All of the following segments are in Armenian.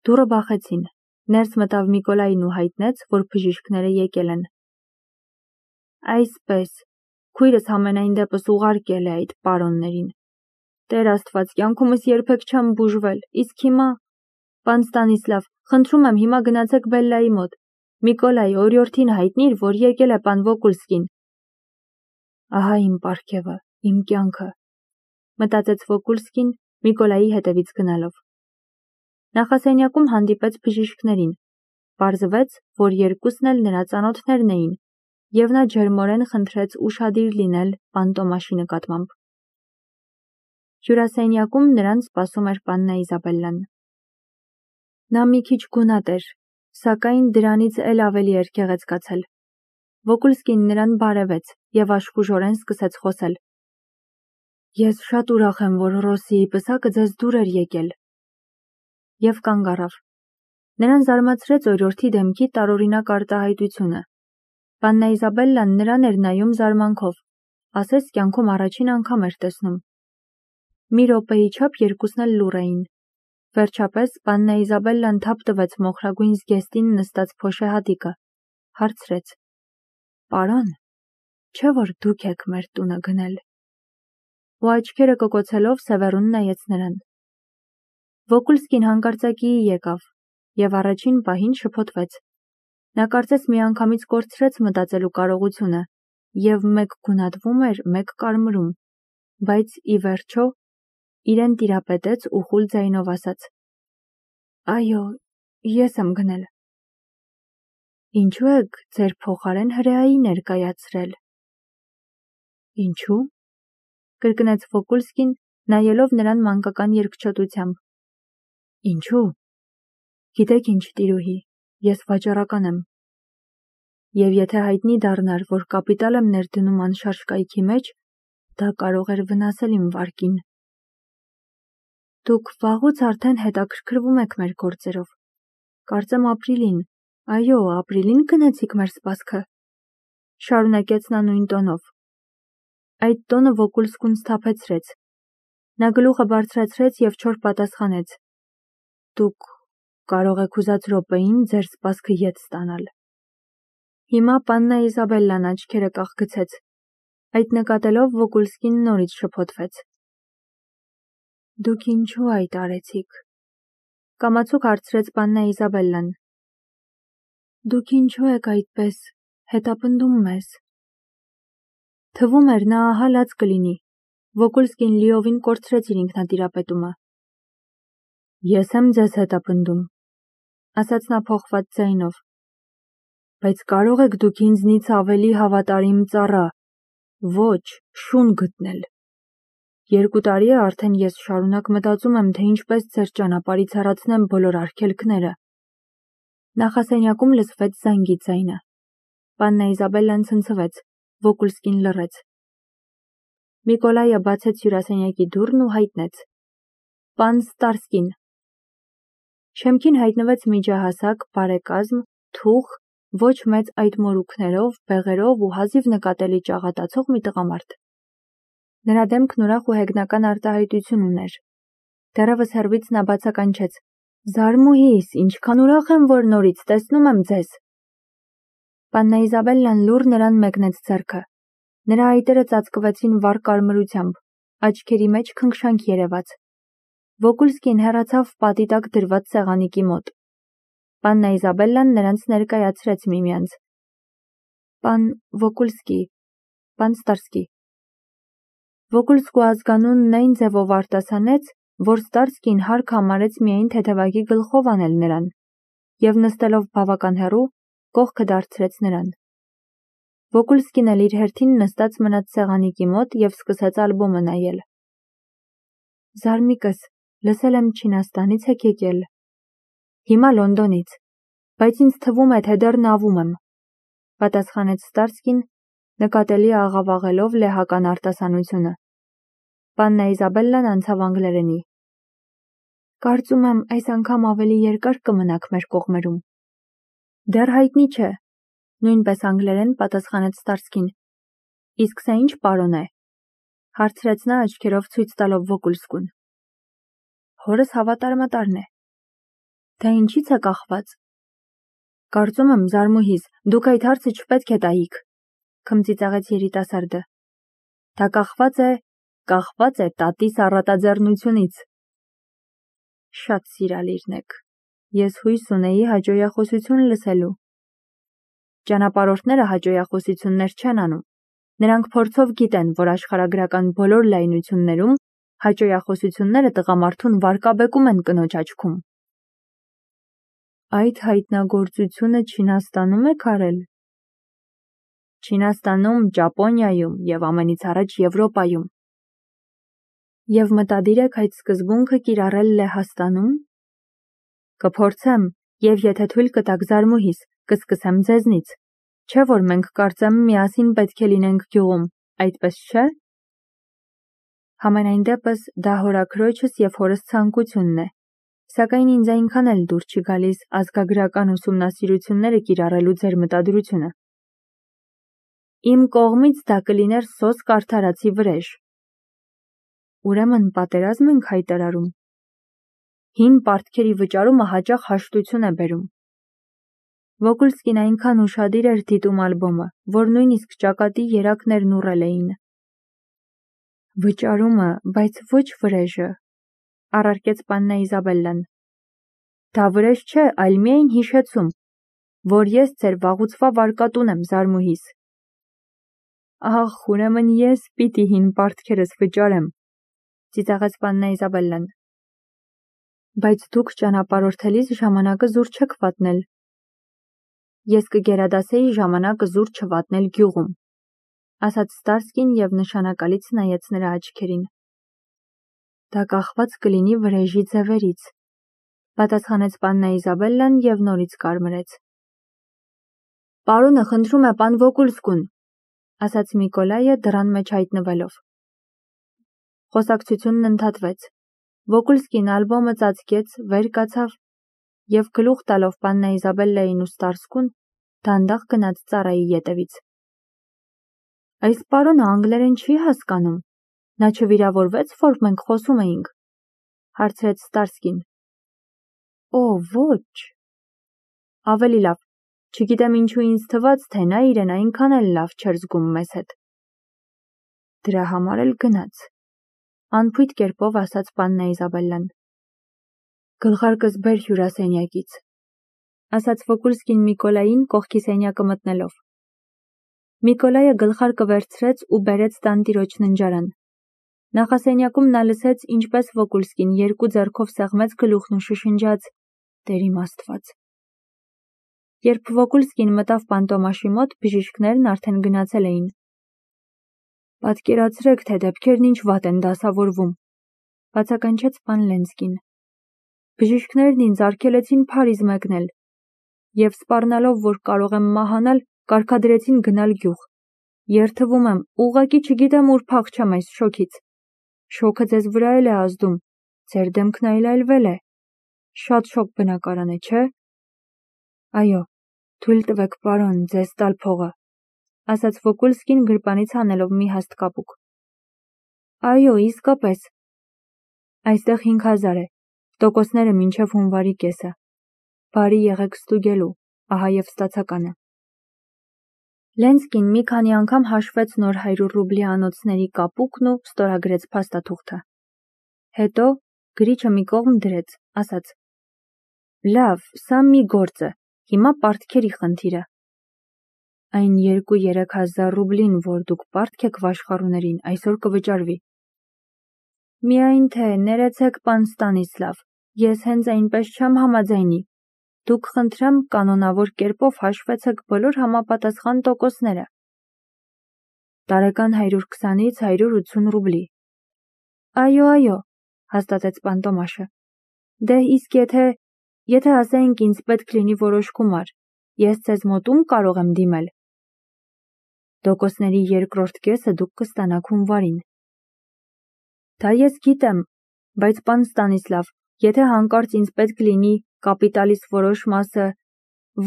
Դուռը բախեցին, ներս մտավ Միկոլային ու հայտնեց, որ բժիշկները եկել են։ Այսպես, քույրս համենայն դեպս ուղարկել է այդ պարոններին։ Տեր Աստված, կյանքումս երբեք չեմ բուժվել, իսկ հիմա… Պան Ստանիսլավ, խնդրում եմ հիմա գնացեք Բելլայի մոտ։ Միկոլայի օրիորդին հայտնիր, որ եկել է պան Վոկուլսկին։ Ահա իմ պարգևը, իմ կյանքը, մտածեց Վոկուլսկին Միկոլայի հետևից գնալով։ Նախասենյակում հանդիպեց բժիշկներին։ Պարզվեց, որ երկուսն էլ նրա ծանոթներն էին, և նա ջերմորեն խնդրեց ուշադիր լինել պան Տոմաշի նկատմամբ։ Հյուրասենյակում նրան սպասում էր պաննա Իզաբելլան։ Նա մի քիչ գունատ էր, սակայն դրանից էլ ավելի էր գեղեցկացել։ Վոկուլսկին նրան բարևեց և աշխուժորեն սկսեց խոսել։ Ես շատ ուրախ եմ, որ Ռոսիի պսակը ձեզ դուր էր եկել։ Եվ կանգ առավ։ Նրան զարմացրեց օրիորդի դեմքի տարօրինակ արտահայտությունը։ Պաննա Իզաբելլան նրան էր նայում զարմանքով, ասես կյանքում առաջին անգամ էր տեսնում։ Մի րոպեի չափ երկուսն էլ լուռ էին։ Վերջապես պաննա Իզաբելլան թափ տվեց մոխրագույն զգեստին նստած փոշեհատիկը, հարցրեց. Պարոն, չէ՞ որ դուք եք մեր տունը գնել։ Ու աչքերը կոկոցելով Սևեռուն նայեց նրան։ Վոկուլսկին հանկարծակիի եկավ և առաջին պահին շփոթվեց։ Նա կարծես միանգամից կորցրեց մտածելու կարողությունը և մեկ գունատվում էր, մեկ կարմրում, բայց ի վերջո իրեն տիրապետեց ու խուլ ձայնով ասաց. Այո, ես եմ գնել։ Ինչու եք ձեր փոխարեն հրեայի ներկայացրել։ Ինչու՞։ Կրկնեց Վոկուլսկին, նայելով նրան մանկական երկչոտությամբ։ Ինչու՞։ Գիտեք ինչ, տիրուհի, ես վաճառական եմ։ Եվ եթե հայտնի դառնար, որ կապիտալ եմ ներդնում անշարժ կայքի մեջ, դա կարող էր վնասել իմ վարկին։ Դուք վաղուց արդեն հետաքրքրվում եք մեր գործերով։ Կարծեմ ապրիլին, այո, ապրիլին գնեցիք մեր սպասքը։ Շարունակեց նա նույն տոնով։ Այդ տոնը Վոկուլսկուն սթափեցրեց։ Նա գլուխը բարձրացրեց և չոր պատասխանեց. Դուք կարող եք ուզած րոպեին ձեր սպասքը ետ ստանալ։ Հիմա պաննա Իզաբելլան աչքերը կախգցեց։ Այդ նկատելով Վոկուլսկին նորից շփոթվեց։ Դուք ինչու այդ արեցիք։ Կամացուկ հարցրեց պաննա Իզաբելլան։ Դուք ինչու եք այդպես հետապնդում մեզ։ Թվում էր նա ահա լաց կլինի։ Վոկուլսկին լիովին կորցրեց իր ինքնատիրապետումը։ Ես եմ ձեզ հետապնդում, ասաց նա փոխված ձայնով։ Բայց կարող եք դուք ինձնից ավելի հավատարիմ ծառա, ոչ, շուն գտնել։ 2 տարի է արդեն ես շարունակ մտածում եմ, թե ինչպես ձեր ճանապարհից հեռացնեմ բոլոր արգելքները։ Նախասենյակում լսվեց զանգի ձայնը։ Պաննա Իզաբելլան ցնցվեց, Վոկուլսկին լռեց։ Միկոլայը բացեց հյուրասենյակի դուռն ու հայտնեց. Պան Ստարսկին։ Շեմքին հայտնվեց միջահասակ, բարեկազմ, թուխ, ոչ մեծ այդ մորուքներով, բեղերով ու հազիվ նկատելի ճաղատացող մի տղամարդ։ Նրա դեմքն ուրախ ու հեգնական արտահայտություն ուներ։ Դեռևս հեռվից նա բացականչեց. Զարմուհիս, ինչքան ուրախ եմ, որ նորից տեսնում եմ ձեզ։ Պաննա Իզաբելլան լուռ նրան մեկնեց ձեռքը։ Նրա այտերը ծածկվեցին վառ կարմրությամբ, աչքերի մեջ քնքշանք երևաց։ Վոկուլսկին հեռացավ պատի տակ դրված սեղանիկի մոտ։ Պաննա Իզաբելլան նրանց ներկայացրեց միմյանց։ Պան Վոկուլսկի, պան Ստարսկի։ Վոկուլսկու ազգանունն այն ձևով արտասանեց, որ Ստարսկին հարկ համարեց միայն թեթևակի գլխով անել նրան, և նստելով բավական հեռու, կողքը դարձրեց նրան։ Վոկուլսկին էլ իր հերթին նստած մնաց սեղանիկի մոտ և սկսեց ալբոմը նայել։ Զարմիկս, լսել եմ Չինաստանից եք եկել։ Հիմա Լոնդոնից, բայց ինձ թվում է, թե դեռ նավում եմ, պատասխանեց Ստարսկին, նկատելի աղավաղելով լեհական արտասանությունը։ Պաննա Իզաբելլան անցավ անգլերենի։ Կարծում եմ, այս անգամ ավելի երկար կմնաք մեր կողմերում։ Դեռ հայտնի չէ, նույնպես անգլերեն պատասխանեց Ստարսկին։ Իսկ սա ինչ պարոն է, հարցրեց նա աչքերով ցույց տալով Վոկուլսկուն։ Հորս հավատարմատարն է։ Դա ինչից է կախված։ Կարծում եմ, Զարմուհիս, դուք այդ հարցը չպետք է տայիք, քմծիծաղեց երիտասարդը։ Դա կախված է տատիս առատաձեռնությունից։ Շատ սիրալիրն եք։ Ես հույս ունեի հաջողախոսություն լսելու։ Ճանապարհորդները հաջողախոսություններ չեն անում։ Նրանք փորձով գիտեն, որ աշխարհագրական բոլոր լայնություններում հաջողախոսությունները տղամարդուն վարկաբեկում են կնոջ աչքում։ Այդ հայտնագործությունը Չինաստանում եք արել։ Չինաստանում, Ճապոնիայում եւ ամենից առաջ Եվրոպայում։ Եվ մտադիր եք այդ սկզբունքը կիրառել Լեհաստանում։ Կփորձեմ, եւ եթե թույլ կտաք Զարմուհիս, կսկսեմ ձեզնից։ Չէ՞ որ մենք կարծեմ միասին պետք է լինենք գյուղում, այդպես չէ՞։ Համենայն դեպս դա հորաքրոջս եւ հորս ցանկությունն է, սակայն ինձ այնքան էլ դուր չի գալիս ազգագրական ուսումնասիրությունները կիրառելու ձեր մտադրությունը։ Իմ կողմից դա կլիներ սոսկ արդարացի վրեժ։ Ուրեմն պատերազմ ենք հայտարարում։ Հին պարտքերի վճարումը հաճախ հաշտություն է բերում։ Վոկուլսկին այնքան ուշադիր էր դիտում ալբոմը, որ նույնիսկ ճակատի երակներն ուռել էին։ Վճարումը, բայց ոչ վրեժը, առարկեց պաննա Իզաբելլան։ Դա վրեժ չէ, այլ միայն հիշեցում, որ ես ձեր վաղուցվա վարկատուն եմ, Զարմուհիս։ Ահ, ուրեմն ես պիտի հին պարտքերս վճարեմ, ծիծաղեց պաննա Իզաբելլան։ Բայց դուք ճանապարհորդելիս ժամանակը զուր չեք վատնել։ Ես կգերադասեի ժամանակը զուր չվատնել գյուղում, ասաց Ստարսկին եւ նշանակալից նայեց նրա աչքերին։ Դա կախված կլինի վրեժի ձևերից, պատասխանեց պաննա Իզաբելլան եւ նորից կարմրեց։ Պարոնը խնդրում է պան Վոկուլսկուն, ասաց Միկոլայը դռան մեջ հայտնվելով։ Խոսակցությունն ընդհատվեց։ Վոկուլսկին ալբոմը ծածկեց, վեր կացավ եւ գլուխ տալով պաննա Իզաբելլային ու Ստարսկուն դանդաղ գնաց ծառայի ետևից։ Այս պարոնը անգլերեն չի հասկանում։ Նա չվիրավորվեց, որ մենք խոսում էինք, հարցրեց Ստարսկին։ Օ, ոչ։ Ավելի լավ, չգիտեմ ինչու ինձ թվաց, թե նա իրեն այնքան էլ լավ չէր զգում մեզ հետ։ Դրա համար էլ գնաց, անփույթ կերպով ասաց պաննա Իզաբելլան։ Գլխարկս բեր հյուրասենյակից, ասաց Վոկուլսկին Միկոլային կողքի սենյակը մտնելով։ Միկոլայը գլխարկը վերցրեց ու բերեց տանտիրոջ ննջարան։ Նախասենյակում նա լսեց, ինչպես Վոկուլսկին երկու ձեռքով սեղմեց գլուխն ու շշնջաց. Տեր իմ Աստված։ Երբ Վոկուլսկին մտավ Պանտոմաշի մոտ, բժիշկներն արդեն գնացել էին։ Պատկերացրեք, թե դեպքերն ինչ վատ են դասավորվում, բացականչեց պան Լենսկին։ Բժիշկներն ինձ արգելեցին Փարիզ մեկնել, եւ սպառնալով, որ կարող եմ մահանալ, կարգադրեցին գնալ գյուղ։ Երթվում եմ, ուղղակի չգիտեմ ուր փախչեմ այս շոքից։ Շոքը ձեզ վրա էլ է ազդում, ձեր դեմքն այլայլվել է։ Շատ շոկ բնակարան է, չէ՞։ Այո, թույլ տվեք, պարոն, ձեզ տալ փողը, ասաց Վոկուլսկին գրպանից հանելով մի հաստ կապուկ։ Այո, իսկապես։ Այստեղ 5000 է, տոկոսները մինչև հունվարի կեսը։ Բարի եղեք ստուգելու, ահա եւ ստացականը։ Լենսկին մի քանի անգամ հաշվեց նոր 100 ռուբլի անոթների կապուկն ու ստորագրեց փաստաթուղթը։ Հետո գրիչը մի կողմ դրեց, ասաց. Լավ, սա մի գործ է, հիմա պարտքերի խնդիրը։ Այն 2-3000 ռուբլին, որ դուք պարտք եք վաշխառուներին, այսօր կվճարվի։ Միայն թե ներեցեք, պան Ստանիսլավ, ես հենց այնպես չեմ համաձայնի։ Դուք խնդրեմ կանոնավոր կերպով հաշվեցեք բոլոր համապատասխան տոկոսները։ Տարեկան 120-ից 180 ռուբլի։ Այո, հաստատեց պան Տոմաշը։ Դե իսկ եթե ասենք ինձ պետք լինի որոշ գումար, ես ձեզ մոտում կարող եմ դիմել։ Տոկոսների երկրորդ կեսը դուք կստանաք հունվարին։ Դա ես գիտեմ, բայց պան Ստանիսլավ, եթե հանկարծ ինձ պետք լինի կապիտալիս որոշ մասը,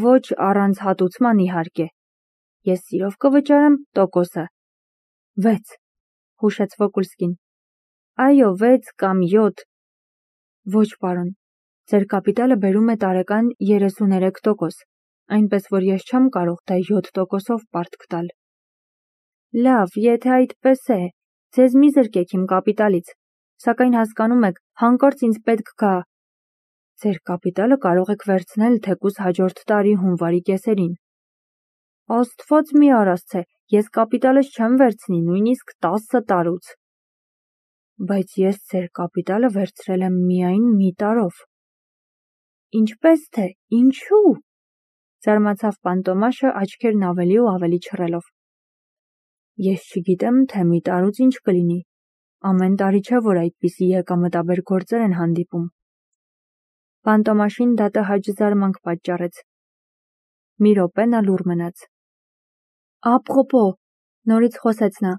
ոչ առանց հատուցման իհարկե, ես սիրով կվճարեմ տոկոսը։ 6, հուշեց Վոկուլսկին։ Այո, 6 կամ 7։ Ոչ, պարոն, Ձեր կապիտալը բերում է տարեկան 33%, այնպես որ ես չեմ կարող դա 7%-ով պարտք տալ։ Լավ, եթե այդպես է, ձեզ մի զրկեք իմ կապիտալից, սակայն հասկանում եք, հանկարծ ինձ պետք գա։ Ձեր կապիտալը կարող եք վերցնել թեկուզ հաջորդ տարի հունվարի կեսերին։ Աստված մի արասցե, ես կապիտալս չեմ վերցնի նույնիսկ 10 տարուց։ Բայց ես ձեր կապիտալը վերցրել եմ միայն մի տարով։ Ինչպես թե, ինչու՞։ Զարմացավ պան Տոմաշը աչքերն ավելի ու ավելի չռելով։ Ես չգիտեմ, թե մի տարուց ինչ կլինի։ Ամեն տարի չէ, որ այդպիսի եկամտաբեր գործեր են հանդիպում։ Պան Տոմաշին դա տհաճ զարմանք պատճառեց։ Մի րոպե նա լուռ մնաց։ Ապրոպո, նորից խոսեց նա։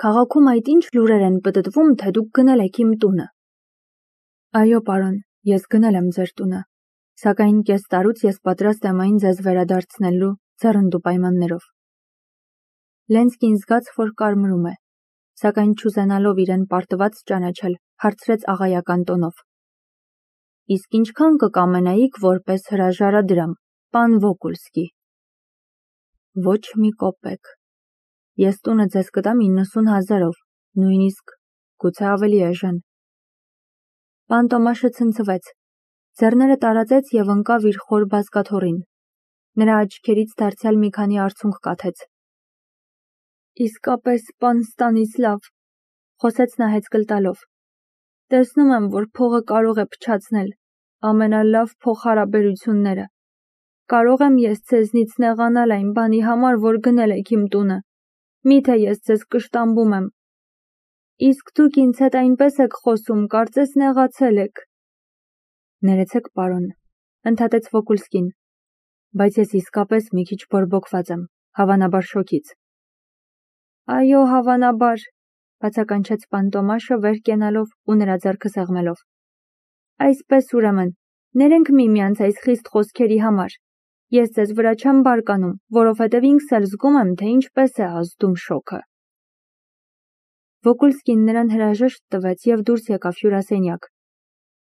Քաղաքում այդ ինչ լուրեր են պտտվում, թե դուք գնել եք իմ տունը։ Այո, պարոն, ես գնել եմ ձեր տունը, սակայն կես տարուց ես պատրաստ եմ այն ձեզ վերադարձնելու ձեռնդու պայմաններով։ Լենսկին զգաց, որ կարմրում է, սակայն չուզենալով իրեն պարտված ճանաչել, հարցրեց աղայական տոնով։ Իսկ ինչքան կկամենայիք որպես հրաժարադրամ, պան Վոկուլսկի։ Ոչ մի կոպեկ։ Ես տունը ձեզ կտամ 90,000-ով, նույնիսկ, գուցե ավելի էժան։ Պան Տոմաշը ցնցվեց, ձեռները տարածեց և ընկավ իր խոր բազկաթոռին։ Նրա աչքերից դարձյալ մի քանի արցունք կաթեց։ Իսկապես, պան Ստանիսլավ, խոսեց նա հեծկլ տալով։ Տեսնում եմ, որ փողը կարող է փչացնել, ամենալավ փոխհարաբերությունները։ Կարող եմ ես ձեզնից նեղանալ այն բանի համար, որ գնել եք իմ տունը։ Միթե ես ձեզ կշտամբում եմ։ Իսկ դուք ինձ հետ այնպես եք խոսում, կարծես նեղացել եք։ Ներեցեք, պարոն, ընդհատեց Վոկուլսկին, բայց ես իսկապես մի քիչ բորբոքված եմ, հավանաբար շոկից։ Այո, հավանաբար, բացականչեց պան Տոմաշը վեր կենալով ու նրա ձեռքը սեղմելով։ Այսպես ուրեմն, ներենք միմյանց այս խիստ խոսքերի համար։ Ես ձեզ վրա չեմ բարկանում, որովհետև ինքս էլ զգում եմ, թե ինչպես է ազդում շոկը։ Վոկուլսկին նրան հրաժեշտ տվեց և դուրս եկավ հյուրասենյակ։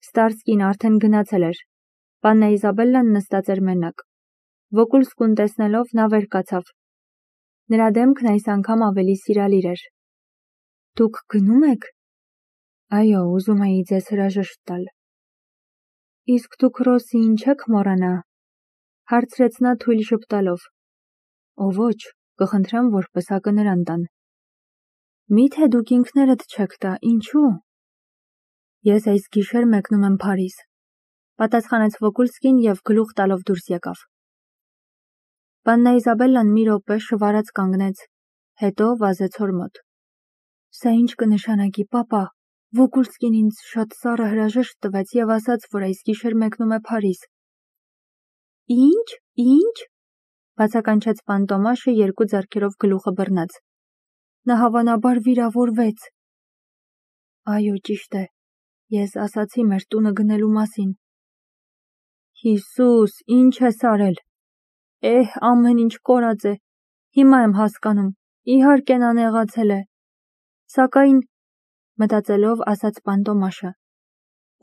Ստարսկին արդեն գնացել էր։ Պաննա Իզաբելլան նստած էր մենակ։ Վոկուլսկուն տեսնելով նա վեր կացավ։ Նրա դեմքն այս անգամ ավելի սիրալիր էր։ Դուք գնում եք։ Այո, ուզում էի ձեզ հրաժեշտ տալ։ Իսկ դուք Ռոսիին չեք մոռանա։ Հարցրեց նա թույլ ժպտալով։ Ո ոչ, կխնդրեմ, որ պսակը նրան տան։ Միթե դուք ինքներդ չեք տա, ինչու։ Ես այս գիշեր մեկնում եմ Փարիզ, պատասխանեց Վոկուլսկին և գլուխ տալով դուրս եկավ։ Պաննա Իզաբելլան մի րոպե շվարած կանգնեց, հետո վազեց հոր մոտ։ Սա ինչ կնշանակի, պապա։ Վոկուլսկին ինձ շատ սառը հրաժեշտ տվեց և ասաց, որ այս գիշեր մեկնում է Փարիզ։ Ինչ, բացականչեց պան Տոմաշը երկու ձեռքերով գլուխը բռնած։ Նա հավանաբար վիրավորվեց։ Այո, ճիշտ է, ես ասացի մեր տունը գնելու մասին։ Հիսուս, ինչ ես արել։ Ամեն ինչ կորած է։ Հիմա եմ հասկանում, իհարկե նա նեղացել է։ Սակայն, մտածելով ասաց պան Տոմաշը,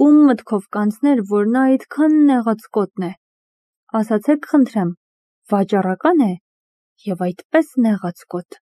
ում մտքով կանցներ, որ նա այդքան նեղաց կոտն է։ Ասացեք խնդրեմ, վաճառական է և այդպես նեղաց կոտ։